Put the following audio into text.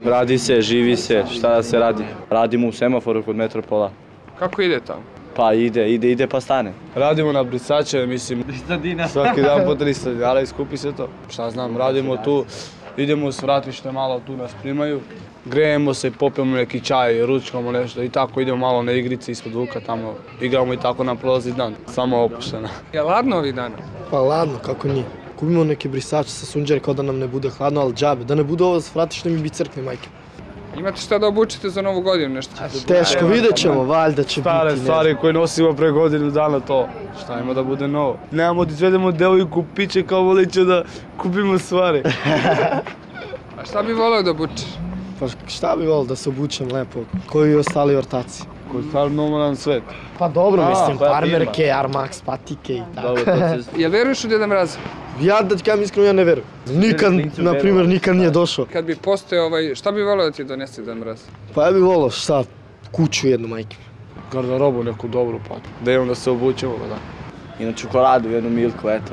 Radi se, živi se, šta da se radi? Radimo u semaforu kod Metropola. Kako ide tamo? Pa ide pa stane. Radimo na brisače, mislim, 300 dinara. svaki dan po 300 dinara i skupi se to. Šta znam, radimo tu, idemo u svratište, malo tu nas primaju. Grejemo se, popijemo neki čaj, ručkamo nešto i tako idemo malo na igrice ispod Vuka tamo. Igramo i tako nam prolazi dan, samo opušteno. Je ladno ovih dana? Pa ladno, kako nije. Kupimo neke brisače sa sunđere kao da nam ne bude hladno, ali džabe. Da ne bude ovo svratište mi bi crkne, majke. Imate šta da obučite za novu godinu, nešto? Teško, vidjet ćemo, valjda će biti. Stare stvari koje nosimo pre godinu dana to. Šta ima da bude novo? Nemamo da izvedemo devojku piće kao voliće da kupimo stvari. A šta bi voleo da obučeš? Pa šta bi volio da se obučem lepo, koji i ostali ortaci. Koji je stvarno normalan svet. Pa dobro, mislim, koja farmerke, Armax, patike i tako. Dobro, to se... Jel veruješ u Deda Mraza? Ja da ti kažem iskreno, ja ne verujem. Nikad, na primjer, nikad nije došao. Kad bi postojao šta bi voleo da ti donese Deda Mraz? Pa ja bih volio šta, kuću jednu, majke. Garderobu neku dobru pa. Da imam da se obučemo, da. I na čokoladu, jednu Milku, eto.